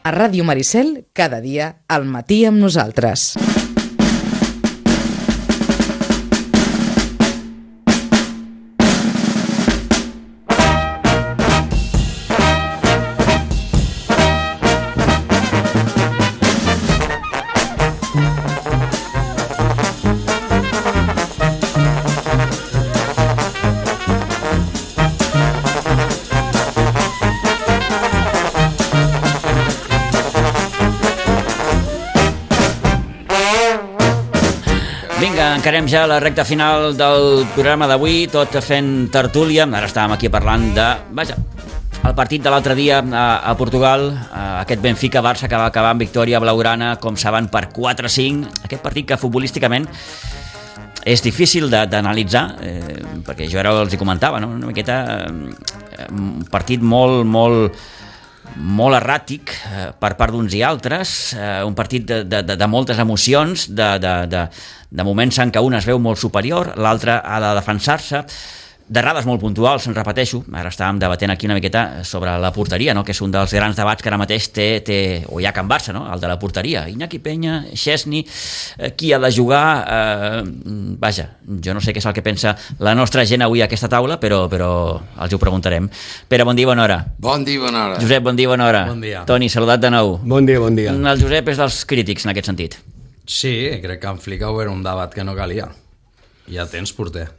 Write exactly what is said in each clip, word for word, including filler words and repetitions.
A Ràdio Maricel, cada dia, al matí amb nosaltres. Encarem ja la recta final del programa d'avui, tot fent tertúlia. Ara estàvem aquí parlant de... Vaja, el partit de l'altre dia a, a Portugal, a aquest Benfica-Barça que va acabar amb victòria blaugrana, com saben, per quatre a cinc. Aquest partit que futbolísticament és difícil d'analitzar, eh, perquè jo ara els hi comentava, no? Una miqueta eh, un partit molt, molt... molt erràtic eh, per part d'uns i altres, eh, un partit de, de, de moltes emocions, de, de, de, de moments en què un es veu molt superior, l'altre ha de defensar-se, d'errades molt puntuals, en repeteixo. Ara estàvem debatent aquí una miqueta sobre la porteria, no? Que és un dels grans debats que ara mateix té, té o hi ha Can Barça, no? El de la porteria. Iñaki Peña, Szczesny, eh, qui ha de jugar? Eh, vaja, jo no sé què és el que pensa la nostra gent avui a aquesta taula, però, però els ho preguntarem. Pere, bon dia, bona hora. Bon dia, bona hora. Josep, bon dia, bona hora. Bon dia. Toni, saludat de nou. Bon dia, bon dia. El Josep és dels crítics en aquest sentit. Sí, crec que en Flicau era un debat que no calia. Ja tens porter.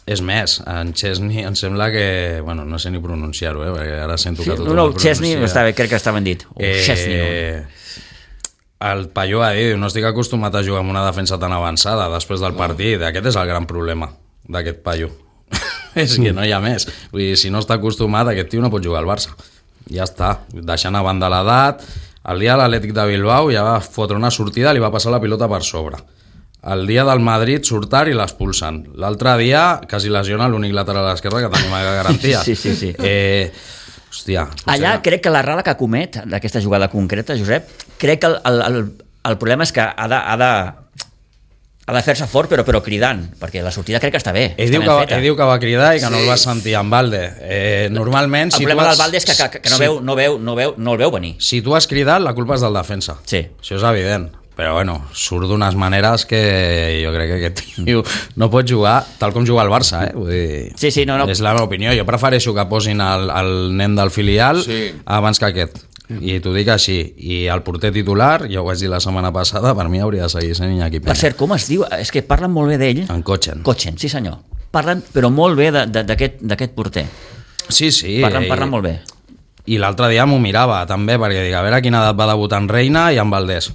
És més, en Szczesny em sembla que... Bueno, no sé ni pronunciar-ho, eh, perquè ara sento sí, que tothom no, no, el pronuncia. Szczesny, està bé, crec que està ben dit. O eh, Szczesny. O... El Palló ha dit, no estic acostumat a jugar amb una defensa tan avançada després del partit. Aquest és el gran problema d'aquest Palló. És que no hi ha més. Vull dir, si no està acostumat, aquest tio no pot jugar al Barça. Ja està, deixant a banda l'edat. El dia de l'Atlètic de Bilbao ja va fotre una sortida, li va passar la pilota per sobre. El dia del Madrid surtar i l'expulsen. L'altre dia quasi lesiona l'únic lateral a l'esquerra que tenim a garantia. Sí, sí, sí. Eh, hòstia, allà crec que l'errada que comet d'aquesta jugada concreta, Josep, crec que el, el, el, el problema és que ha de, ha de, ha de fer-se fort però, però cridant, perquè la sortida crec que està bé. Ell està diu, ben que, feta. ell diu que va cridar i que sí. no el va sentir en Valde. Eh, normalment, el si problema tu has... del Valde és que, que, que no, si... veu, no, veu, no, veu, no el veu venir. Si tu has cridat, la culpa és del defensa. Sí. Això és evident. Però bueno, surt d'unes maneres que jo crec que aquest tio no pot jugar tal com juga el Barça, eh? Vull dir, sí, sí, no, no. És la meva opinió. Jo prefereixo que posin el, el nen del filial sí. abans que aquest. I t'ho dic així. I el porter titular, ja ho vaig dir la setmana passada, per mi hauria de seguir sent Iñaki Peña. Per cert, com es diu? És que parlen molt bé d'ell. En Cotxen. Cotxen, sí senyor. Parlen, però molt bé d'aquest porter. Sí, sí. Parlen, parlen molt bé. I l'altre dia m'ho mirava també, perquè dic, a veure a quina edat va debutar en Reina i en Valdés,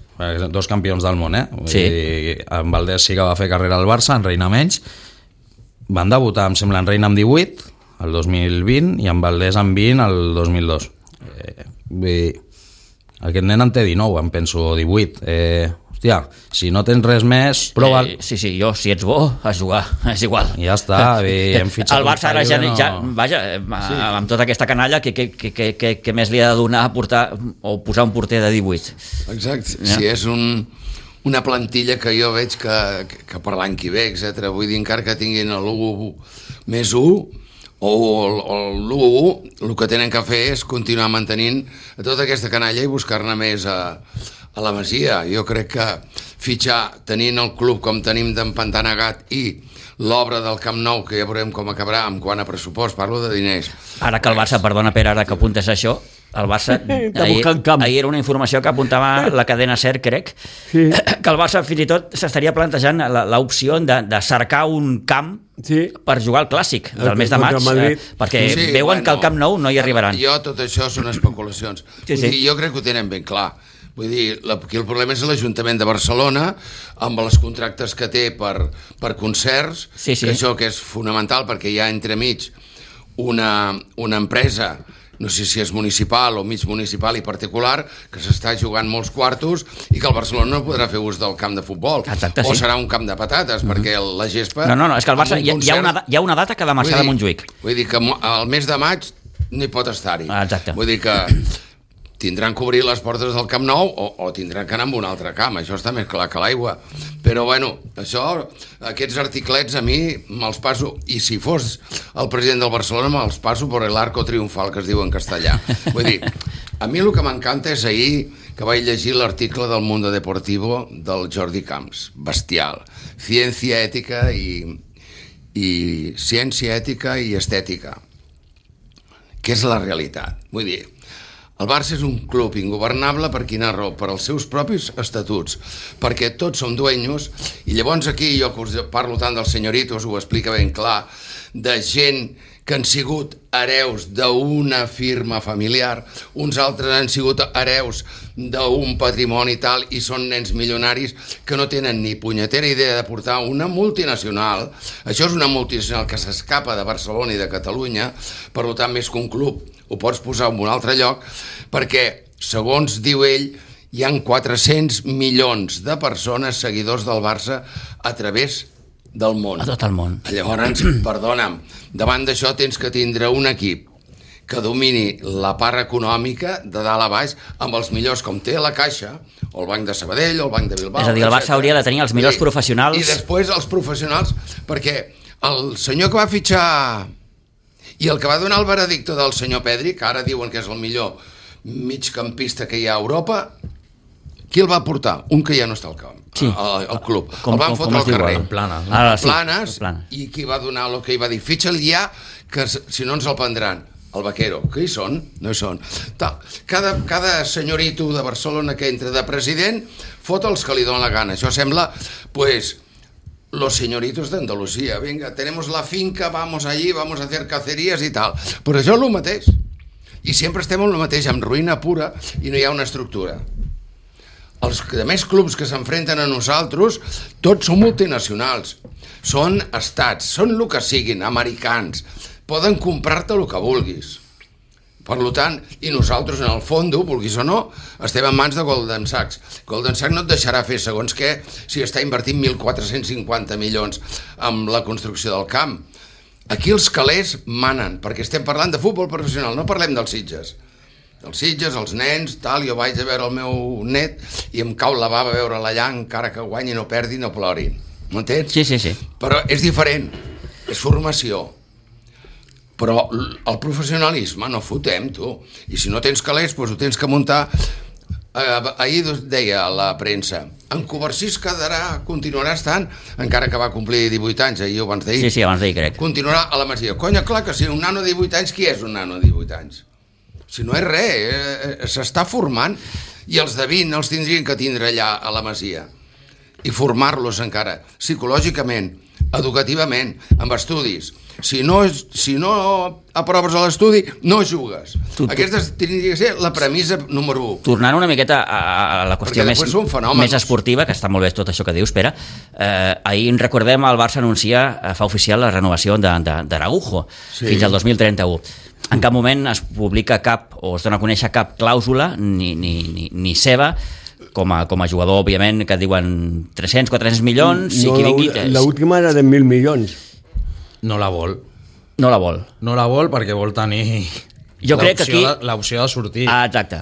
dos campions del món, eh? Sí. I en Valdés sí que va fer carrera al Barça, en Reina menys. Van debutar, em sembla, en Reina amb divuit, el dos mil vint, i en Valdés amb vint, el dos mil dos. Eh, vull dir, aquest nen en té dinou, em penso, o divuit. Eh, hòstia, si no tens res més, prova'l. Eh, sí, sí, jo, si ets bo, a jugar, és igual. Ja està, i hem fitxat el Barça ara ja, no... ja, vaja, sí. amb tota aquesta canalla, que, que, que, que, que més li ha de donar a portar o posar un porter de divuit? Exacte, ja? Si és un, una plantilla que jo veig que, que per l'any que ve, etcètera. Vull dir, encara que tinguin l'u més u, o l'u u, el que tenen que fer és continuar mantenint tota aquesta canalla i buscar-ne més a, a la Masia. Jo crec que fitxar, tenint el club com tenim d'empantanegat i l'obra del Camp Nou, que ja veurem com acabarà en quant a pressupost, parlo de diners. Ara que el Barça, perdona Pere, ara que apuntes això, el Barça, ahir, ahir era una informació que apuntava la cadena SER, crec, sí. que el Barça fins i tot s'estaria plantejant l'opció de, de cercar un camp sí. per jugar al Clàssic del mes de maig, eh, perquè sí, veuen bueno, que al Camp Nou no hi arribaran. Jo, tot això són especulacions. Sí, sí. Dir, jo crec que ho tenen ben clar. Vull dir, aquí el problema és l'Ajuntament de Barcelona, amb els contractes que té per, per concerts, sí, sí. que això que és fonamental, perquè hi ha entremig una, una empresa, no sé si és municipal o mig municipal i particular, que s'està jugant molts quartos i que el Barcelona no podrà fer ús del camp de futbol. Exacte, o sí. serà un camp de patates, mm-hmm. perquè la gespa... No, no, no, és que el Barça, hi ha, concert, hi, ha una, hi ha una data que ha de marxar de Montjuïc. Vull dir que al mes de maig no hi pot estar-hi. Exacte. Vull dir que tindran que obrir les portes del Camp Nou o, o tindran que anar amb un altre camp, això està més clar que l'aigua. Però bueno, això, aquests articlets a mi me'ls passo, i si fos el president del Barcelona me'ls passo per l'arco triomfal, que es diu en castellà. Vull dir, a mi el que m'encanta és ahir que vaig llegir l'article del Mundo Deportivo del Jordi Camps, bestial, ciència ètica i, i ciència ètica i estètica, que és la realitat. Vull dir, el Barça és un club ingovernable per quina raó? Per als seus propis estatuts, perquè tots som dueños, i llavors aquí jo que us parlo tant dels senyoritos, ho explica ben clar, de gent que han sigut hereus d'una firma familiar, uns altres han sigut hereus d'un patrimoni tal i són nens milionaris que no tenen ni punyetera idea de portar una multinacional. Això és una multinacional que s'escapa de Barcelona i de Catalunya, per tant més que un club ho pots posar en un altre lloc, perquè, segons diu ell, hi han quatre-cents milions de persones seguidors del Barça a través del món. A tot el món. Llavors, perdona'm, davant d'això tens que tindre un equip que domini la part econòmica de dalt a baix amb els millors, com té la Caixa, o el Banc de Sabadell, o el Banc de Bilbao. És a dir, el Barça hauria de tenir els millors I, professionals. I després els professionals, perquè el senyor que va fitxar i el que va donar el veredicte del senyor Pedri, que ara diuen que és el millor migcampista que hi ha a Europa, qui el va portar? Un que ja no està al camp, sí. al, al club. Com, el van com, fotre al carrer. El Planes. No? Ah, sí, Planes, Planes. I qui va donar el que hi va dir? Fitxa'l ja, que si no ens el prendran. El Vaquero. Que hi són? No hi són. Cada, cada senyorito de Barcelona que entra de president fot els que li donen la gana. Això sembla, pues, los señoritos de Andalucía. Venga, tenemos la finca, vamos allí, vamos a hacer cacerías i tal. Però això és el mateix. I sempre estem en el mateix, amb ruïna pura, i no hi ha una estructura. Els més clubs que s'enfrenten a nosaltres, tots són multinacionals, són estats, són el que siguin, americans, poden comprar-te el que vulguis. Per tant, i nosaltres en el fons, vulguis o no, estem en mans de Goldman Sachs. Goldman Sachs no et deixarà fer segons què si està invertint mil quatre-cents cinquanta milions en la construcció del camp. Aquí els calés manen, perquè estem parlant de futbol professional, no parlem dels Sitges. Els Sitges, els nens, tal, jo vaig a veure el meu net i em cau la bava a veure-la allà, encara que guanyi, no perdi, no plori. M'entens? Sí, sí, sí. Però és diferent, és formació. Però el professionalisme no fotem, tu. I si no tens calés, doncs ho tens que muntar. Eh, ahir deia a la premsa, en Covarsís quedarà, continuarà estant, encara que va complir divuit anys, ahir o abans d'ahir. Sí, sí, abans d'ahir, crec. Continuarà a la Masia. Conya, clar que si un nano de divuit anys, qui és un nano de divuit anys? Si no és res, eh, s'està formant, i els de vint els tindrien que tindre allà a la Masia i formar-los encara psicològicament, educativament, amb estudis. Si no, si no aproves a l'estudi, no jugues. Tu, tu... Aquesta tindria que ser la premissa número u. Tornant una miqueta a, a la qüestió més, més esportiva, que està molt bé tot això que dius, Pere, eh, ahir en recordem el Barça anuncia, eh, fa oficial la renovació d'Araujo, sí, fins al dos mil trenta-u. En cap moment es publica cap, o es dona a conèixer cap clàusula, ni, ni, ni, ni seva, com a, com a jugador, òbviament, que diuen tres-cents, quatre-cents milions, no, i qui vingui... L'última era de mil milions. No la vol. No la vol. No la vol perquè vol tenir jo crec que aquí... l'opció de sortir. Ah, exacte.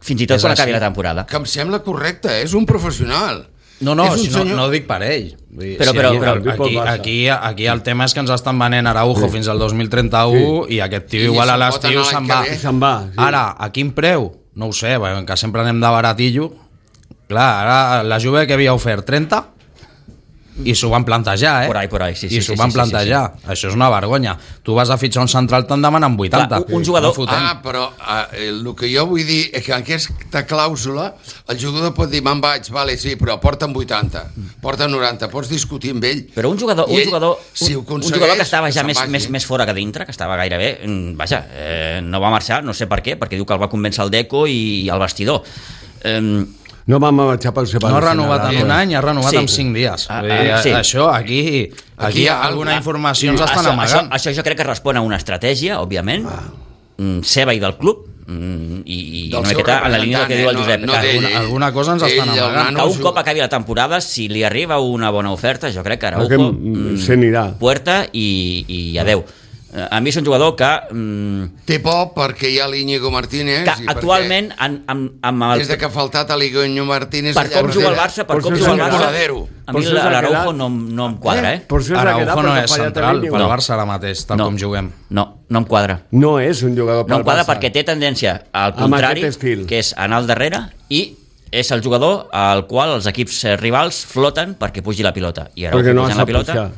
Fins i tot quan acabi la temporada. Que em sembla correcte, és un professional. No, no, si no, no ho dic per ell. Dir, però, si però, aquí, però, aquí, aquí, aquí el tema és que ens estan venent Araujo sí. fins al dos mil trenta-u sí. i aquest tio sí, igual a l'estiu se'n va. Se va sí. Ara, a quin preu? No ho sé, que sempre anem de baratillo. Clar, ara la Juve que havia ofert trenta i s'ho van plantejar, eh? Por ahí, por ahí, sí, I sí, s'ho sí, van sí, plantejar. Sí, sí. Això és una vergonya. Tu vas a fitxar un central, te'n demanen vuitanta. Clar, un jugador... No ah, però eh, el que jo vull dir és que en aquesta clàusula el jugador pot dir, me'n vaig, vale, sí, però porta'm vuitanta, porta'm noranta, pots discutir amb ell. Però un jugador, un ell, jugador, si un, un jugador que estava ja més, més, més fora que dintre, que estava gairebé, vaja, eh, no va marxar, no sé per què, perquè diu que el va convèncer el Deco i el vestidor. Eh, No vam marxar pel separat. No ha renovat en un any, ha renovat sí. en cinc dies. Ah, ah, sí. Això, aquí, aquí, aquí hi ha alguna informació ens estan això, amagant. Això, això jo crec que respon a una estratègia, òbviament, ah. seva i del club, i, i una miqueta en la línia del que diu el Josep. No, no alguna, alguna cosa ens estan amagant. Que un cop acabi la temporada, si li arriba una bona oferta, jo crec que Araujo se n'irà. Puerta i, i adeu. A mi és un jugador que... Mm, té por perquè hi ha l'Iñigo Martínez. Que i actualment... En, en, en el, des de que ha faltat l'Iñigo Martínez... Per com juga el Barça, per com juga el Barça... A mi l'Araujo no, no em quadra, eh? Araujo no és central pel Barça ara mateix, tal com juguem. No, no em quadra. No és un jugador pel Barça. No em quadra perquè té tendència al contrari, que és anar al darrere, i és el jugador al qual els equips rivals floten perquè pugi la pilota. I Araujo no pujant la pilota...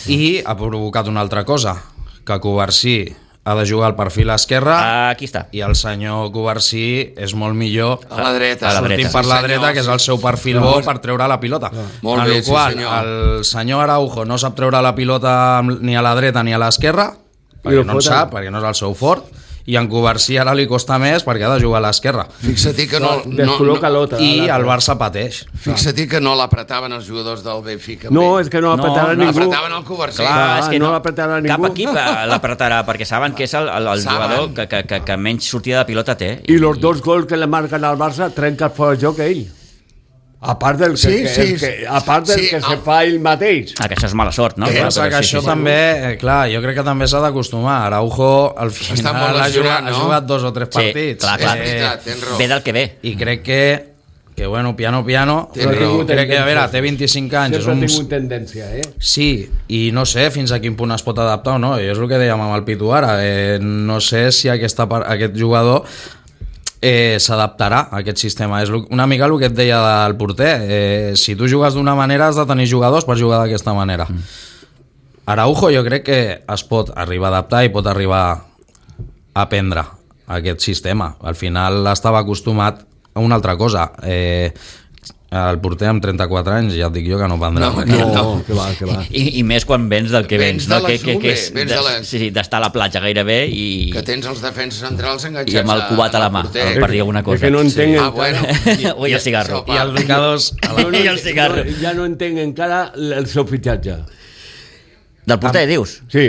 I ha provocat una altra cosa, que Covarsí ha de jugar al perfil esquerre. Aquí està. I el senyor Covarsí és molt millor a la dreta, a la dreta. per la dreta, que és el seu perfil bo per treure la pilota. Molt bé, sí senyor. El senyor Araujo no sap treure la pilota ni a la dreta ni a l'esquerra, perquè no en sap, perquè no és el seu fort, i en Covarsí ara li costa més perquè ha de jugar a l'esquerra. Fixa-t'hi que no... no, no I el Barça pateix. Fixa-t'hi que no l'apretaven els jugadors del Benfica. No, és que no l'apretaven no, ningú. No l'apretaven el Covarsí. Clar, és que no, no l'apretaven ningú. Cap equip l'apretarà, perquè saben que és el, el, el jugador que, que, que, que menys sortida de pilota té. I els dos gols que le marquen al Barça trenca fora de joc ell. A part del que, sí, que, sí, que, a part del sí, que el... se fa ell mateix. Ah, que això és mala sort, no? Que Clar, passa que sí, això sí, també, eh, clar, jo crec que també s'ha d'acostumar. Araujo al final ha jugat, no? ha jugat dos o tres partits. Sí, clar, clar. És veritat, tens raó. Ve del que ve. I crec que, que bueno, piano, piano, raó. crec que, a veure, té vint-i-cinc anys. Sempre ha uns... tingut tendència, eh? Sí, i no sé fins a quin punt es pot adaptar o no. I és el que dèiem amb el Pitu ara. Eh, no sé si aquesta, aquest jugador eh, s'adaptarà a aquest sistema. És una mica el que et deia del porter. Eh, si tu jugues d'una manera has de tenir jugadors per jugar d'aquesta manera. Mm. Araujo jo crec que es pot arribar a adaptar i pot arribar a aprendre aquest sistema. Al final estava acostumat a una altra cosa. Eh, el porter amb trenta-quatre anys, ja et dic jo que no prendrà. No, no, no, que va, que va. I, I més quan vens del que vens, vens no? de la que, que, que és Juve, vens de la... sí, d'estar a la platja gairebé i... Que tens els defenses centrals enganxats i amb el cubat a la mà, porter. per dir alguna cosa. És que no entenc Sí. Ah, encara... bueno. Ui, el cigarro. I el Ricados... No, no, I el cigarro. no, ja no entenc encara el seu fitxatge. Del porter, dius? Sí.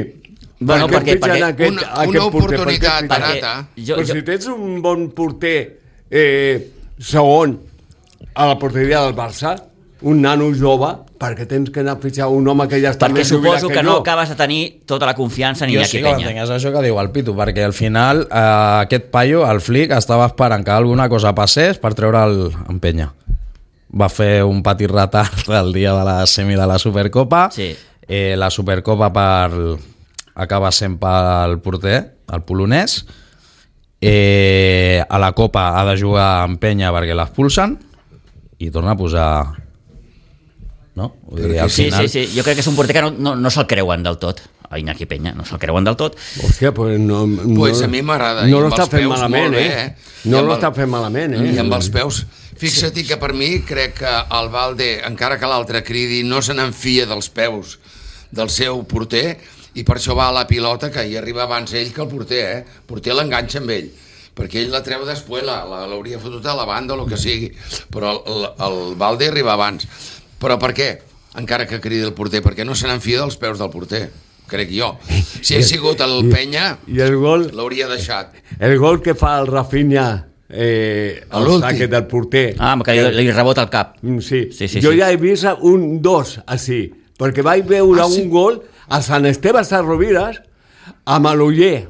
Bueno, Per què perquè, perquè, fitxen aquest, una- aquest una porter? oportunitat Per què fitxen? barata. jo, Però jo, si tens un bon porter eh, segon a la porteria del Barça, un nano jove, perquè tens que anar a fitxar un home que ja està perquè més jubilat suposo que que no jo? acabes de tenir tota la confiança ni Jo Iñaki sí que Peña. entenc, és això que diu el Pitu, perquè al final eh, aquest paio, el Flick, estava esperant que alguna cosa passés per treure'l en Penya. Va fer un petit retard el dia de la semi de la Supercopa. Sí. Eh, la Supercopa per... acaba sent pel porter, el polonès. Eh, a la Copa ha de jugar en Penya perquè l'expulsen i torna a posar... No? Vull dir, al Sí, final... sí, sí. Jo crec que és un porter que no, no, no se'l creuen del tot. A Iñaki Peña, no se'l creuen del tot. Hòstia, pues no... no Pues a mi m'agrada. No I amb l'està els fent peus malament, molt bé, eh? eh? No I amb l'està el- fent malament, eh? I amb els peus. Fixa't que per mi crec que el Valde, encara que l'altre cridi, no se n'enfia dels peus del seu porter i per això va a la pilota, que hi arriba abans ell que el porter, eh? El porter l'enganxa amb ell, perquè ell la treu després, l'hauria fotut a la banda o el que sigui, però el, el, el Valde arriba abans. Però per què? Encara que cridi el porter, perquè no se n'enfia dels peus del porter, crec jo. Si hagués sigut el Penya, I el gol, l'hauria deixat. el gol que fa el Rafinha eh, A el l'últim. saque del porter. Ah, que li, li rebota el cap. Mm, Sí. Sí, sí, jo sí. ja he vist un dos així, perquè vaig veure Ah, sí? un gol a Sant Esteve Sarrovires amb l'Uller.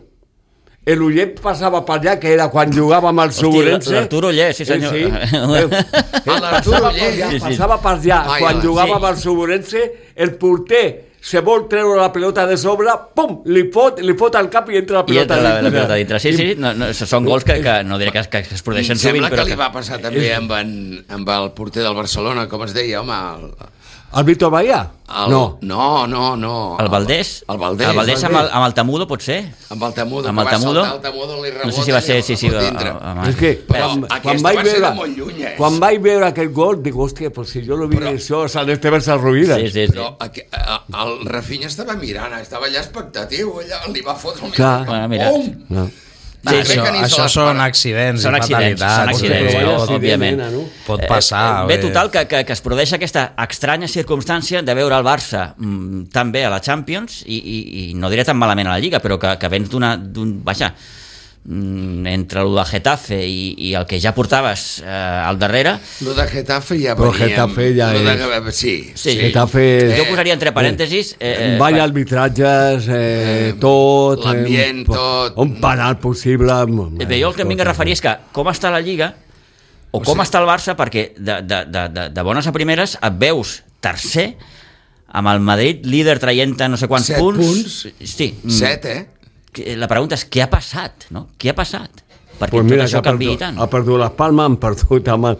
L'Uller passava per allà, que era quan jugava amb el Hosti, Suburense. l'Arturo Oller, sí senyor. Eh, sí. Eh, l'Arturo passava per Oller. allà, Sí, sí. passava per allà. Ai, Quan sí. jugava amb el Suburense, el porter se vol treure la pelota de sobre, pum, li fot, li fot al cap i entra la I pelota entra la, la dintre. pilota dintre. Sí, sí, no, no, són gols que, que no diré que, que es produeixen Em sovint, sembla però que li va passar també amb, en, amb el porter del Barcelona, com es deia, home... El, El Víctor Bahía? el, No. No, no, no. El Valdés? El Valdés. El Valdés amb el, amb el Tamudo, pot ser? Amb el Tamudo, Amb el que va Tamudo? saltar el Tamudo, li rebota No sé si va ser... i Sí, el sí, fot a, dintre. a, a, És que Però quan, aquesta quan va vaig ser de veure, molt lluny, eh? quan vaig veure aquest gol, dic, hòstia, però si jo lo vi Però- això a Sant Esteve Sarrovires. Sí, sí, sí. Però aqu- a- el Rafinha estava mirant, estava allà expectatiu, allà li va fotre el Clar. Bueno, mira. Pum! No. Sí, Crec això, que ni se això l'espera. són accidents Són i accidents, fatalitats. són accidents, Però vaya no, accident, òbviament. nena, no? Pot passar. Eh, bé, bé. total, que, que, que es produeix aquesta estranya circumstància de veure el Barça mm, tan bé a la Champions i, i, i no diré tan malament a la Lliga, però que, que vens d'una... d'un, vaja, entre el de Getafe i, i el que ja portaves eh, al darrere... Lo de Getafe ja Però veníem... Getafe ja lo de, és... sí, Sí, sí. Getafe... Jo posaria entre parèntesis... Eh, Vaya arbitratges, eh, tot... l'ambient, eh, tot. Un penal possible... eh, bé, jo el que em vinc a referir és que com està la Lliga o com està el Barça, perquè de, de, de, de, de bones a primeres et veus tercer amb el Madrid líder traient no sé quants Set punts. punts. Sí. Set, eh? La pregunta és què ha passat, no? Què ha passat? Perquè Pues tot mira, això que ha canviï perdut, tant. ha perdut les Palmes, han perdut amb el...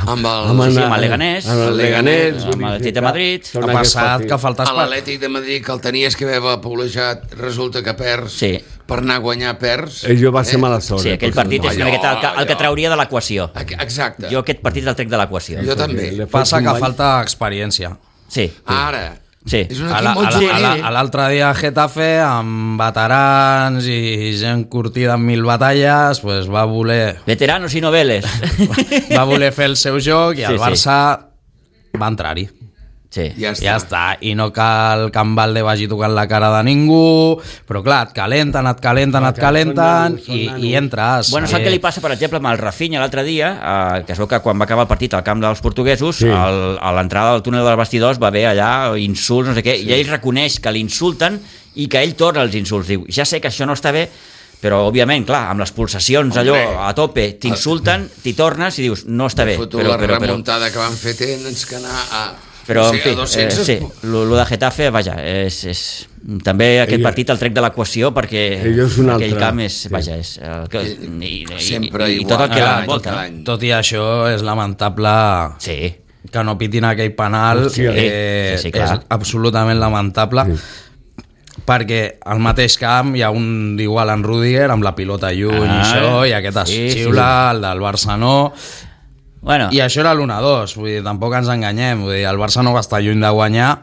Amb el- Sí, sí, amb el Leganés. amb el Leganés, amb l'Atlètic de Madrid. Són Ha aquests passat partits. que falta A espai. l'Atlètic de Madrid, que el tenies que haver paulejat, resulta que perds. Sí. Per anar a guanyar perds. Ell va ser mala sort. Sí, eh, aquell per partit és allò, una miqueta el que, el que allò. trauria de l'equació. Exacte. Jo aquest partit el trec de l'equació. Jo també. Le Passa fots un que bany. falta experiència. Sí. Ara. Sí. És un A equip la- molt a la- a la- juvenil. a L'altre dia a Getafe, amb veterans i gent curtida en mil batalles, pues va voler Veteranos i noveles. va voler fer el seu joc i el Sí, sí. Barça va entrar-hi. Sí. Ja està. Ja està, i no cal que en Valde vagi tocant la cara de ningú, però clar, et calenten, et calenten, et calenten, són i, nanos. i entres. Bueno, saps Eh, què li passa, per exemple, amb el Rafinha l'altre dia, eh, que es veu que quan va acabar el partit al camp dels portuguesos, Sí. el, a l'entrada del túnel dels vestidors va haver allà insults, no sé què, sí. I ell reconeix que l'insulten i que ell torna els insults. Diu, ja sé que això no està bé, però, òbviament, clar, amb les pulsacions allò Hombre. a tope, t'insulten, t'hi tornes i dius, no està bé. Foto Però, la però, però, remuntada que van fer tens que anar a... però no en sé, fi, a eh, dos-cents sí, lo, lo de Getafe, vaja, és, és, també aquest Ell- partit el trec de l'equació perquè Ell és un aquell altre, camp és, sí. vaja, és el que, i, i, Sempre i, i igual, tot el que cada any, l'envolta. cada no? any. tot i això, és lamentable Sí, que no pitin aquell penal, Sí, eh, sí, sí, clar. és absolutament lamentable. Perquè al mateix camp hi ha un d'igual en Rudiger amb la pilota lluny Ah, i això, i aquest es sí, sí, xiula, el del Barça no. bueno, I això era l'u a dos, vull dir, tampoc ens enganyem, vull dir, el Barça no va estar lluny de guanyar.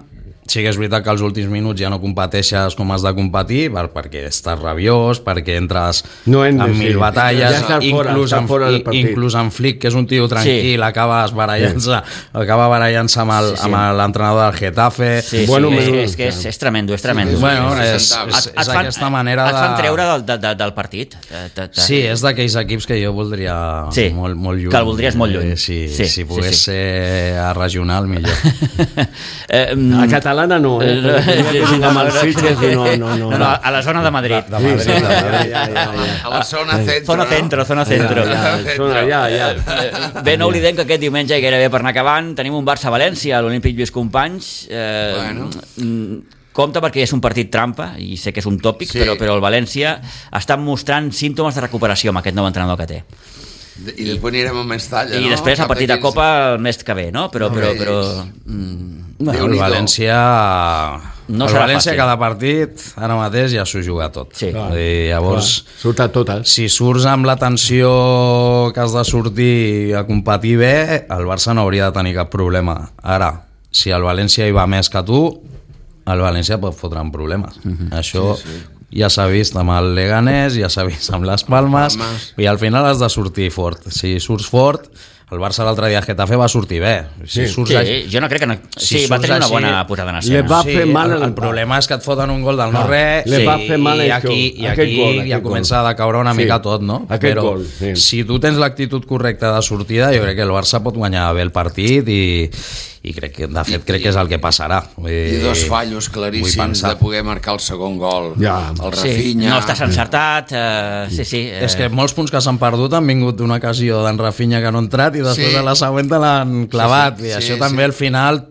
Sí que és veritat que als últims minuts ja no competeixes com has de competir, per, perquè estàs rabiós, perquè entres No hem de- en sí. mil batalles, Ja està fora, inclús, està en, fora del i- partit. inclús en Flick, que és un tio tranquil, Sí. acaba barallant-se acaba barallant-se amb el- Sí, sí. amb l'entrenador del Getafe. sí, bueno, sí, és, menú. és que és, és tremendo, és tremendo. és Bueno, un és, centavos. és, és aquesta manera et de... fan treure del, de, de, del partit. De, de, de, Sí, és d'aquells equips que jo voldria Sí, molt, molt lluny. que el voldries molt lluny. Eh, sí, Sí, si sí, pogués sí. ser a regional, millor. eh, A catalana no, eh? Eh, Que juguem al Sitges i no, no, no. no, no, a la zona de Madrid. De Madrid, Sí, de sí, Madrid. ja, ja, ja. A la zona centro. Zona centro, zona centro. Ja, ja, són allà, ja. Bé, no oblidem que aquest diumenge, i gairebé per anar acabant, tenim un Barça-València a l'Olímpic Lluís Companys. Eh, Bueno. mm, compte perquè és un partit trampa, i sé que és un tòpic, Sí. però, però el València està mostrant símptomes de recuperació amb aquest nou entrenador que té. I després anirem a Mestalla, I no? després el Cap partit de d'aquells- Copa el mes que ve, no? Però, No, però, bé, però, és- mm, Bueno, el Déu-n'hi-do. València... No el serà València fàcil. cada partit, ara mateix ja s'ho juga tot. Sí. I llavors, Surt a totes. si surts amb la tensió que has de sortir a competir bé, el Barça no hauria de tenir cap problema. Ara, si el València hi va més que tu, el València pot fotre en problemes. Mhm. Això sí, sí. ja s'ha vist amb el Leganés, ja s'ha vist amb les Palmes, Palmes. i al final has de sortir fort. Si surts fort, el Barça l'altre dia a Getafe va sortir bé. Si Sí. surts sí, així- jo no crec que... No, Si sí, va surts tenir una així, bona posada en li escena. va sí, fer mal el, el- el problema és que et foten un gol del Clar, no-res li va fer mal i, això, aquí, i aquest aquí gol, ja aquest comença gol. a decaure una Sí, mica tot, no? aquest Però gol, sí. si tu tens l'actitud correcta de sortida, jo crec que el Barça pot guanyar bé el partit i, i crec que, de fet, crec que és el que passarà. Vull dir, I dos fallos vull claríssims pensar. de poder marcar el segon gol. Ja. El Sí, Rafinha... no estàs encertat, eh, sí, sí. Eh, És que molts punts que s'han perdut han vingut d'una ocasió d'en Rafinha que no ha entrat i després Sí. de la següent te l'han clavat. Sí, sí, I sí, això sí. també al final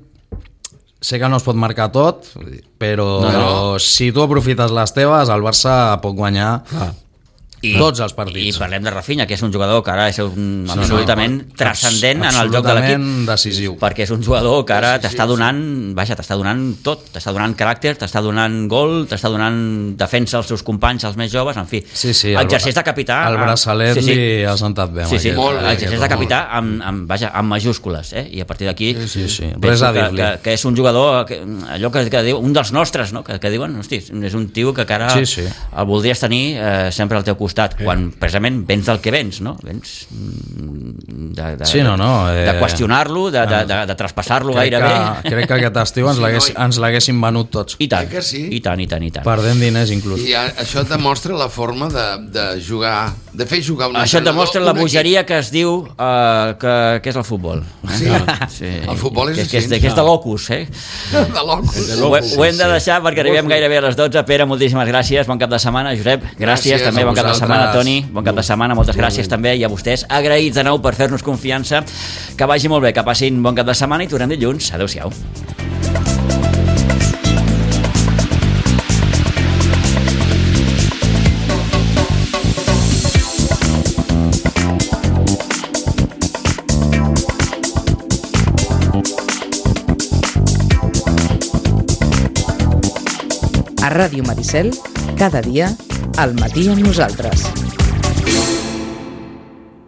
sé que no es pot marcar tot, però No, no. si tu aprofites les teves, el Barça pot guanyar Ah. I, tots els I partits. parlem de Rafinha, que és un jugador que ara és un, absolutament no, transcendent en el joc de l'equip. absolutament decisiu. Perquè és un jugador que ara t'està donant, vaja, t'està donant tot, t'està donant caràcter, t'està donant gol, t'està donant defensa als seus companys, als més joves, en fi. Sí, sí, el- exerceix de capità. el amb- braçalet sí, sí. li ha sentat bé amb Sí, sí, aquest. Molt bé, exerceix de molt. capità amb, amb, vaja, amb majúscules, eh? I a partir d'aquí sí, sí. penso Res a que, dir-li. que, que és un jugador, que, allò que, que diu, un dels nostres, no? que, que diuen, hosti, és un tio que, que ara Sí, sí. el voldries tenir eh, sempre al teu costat. costat, sí. quan precisament vens del que vens, no? Vens de, de, sí, no, no, eh, de qüestionar-lo, de, de, de, de traspassar-lo gairebé. Que, crec que aquest estiu ens sí, l'haguessin no, venut tots. I tant, que sí? i tant, i tant, i tant. Perdent diners, inclús. I a, això demostra la forma de, de jugar, de fer jugar un això demostra la bogeria que es diu uh, que, que és el futbol. Eh? Sí. sí, el futbol és que, així. Que és, de, que és de locus, eh? De locus. Ho, ho hem de deixar perquè arribem gairebé a les dotze. Pere, moltíssimes gràcies, bon cap de setmana. Josep, gràcies, gràcies també, bon cap de setmana. Toni, bon cap de setmana, moltes gràcies també, i a vostès agraïts de nou per fer-nos confiança. Que vagi molt bé, que passin bon cap de setmana i tornem dilluns. Adéu-siau. A Ràdio Maricel, cada dia, al matí amb nosaltres.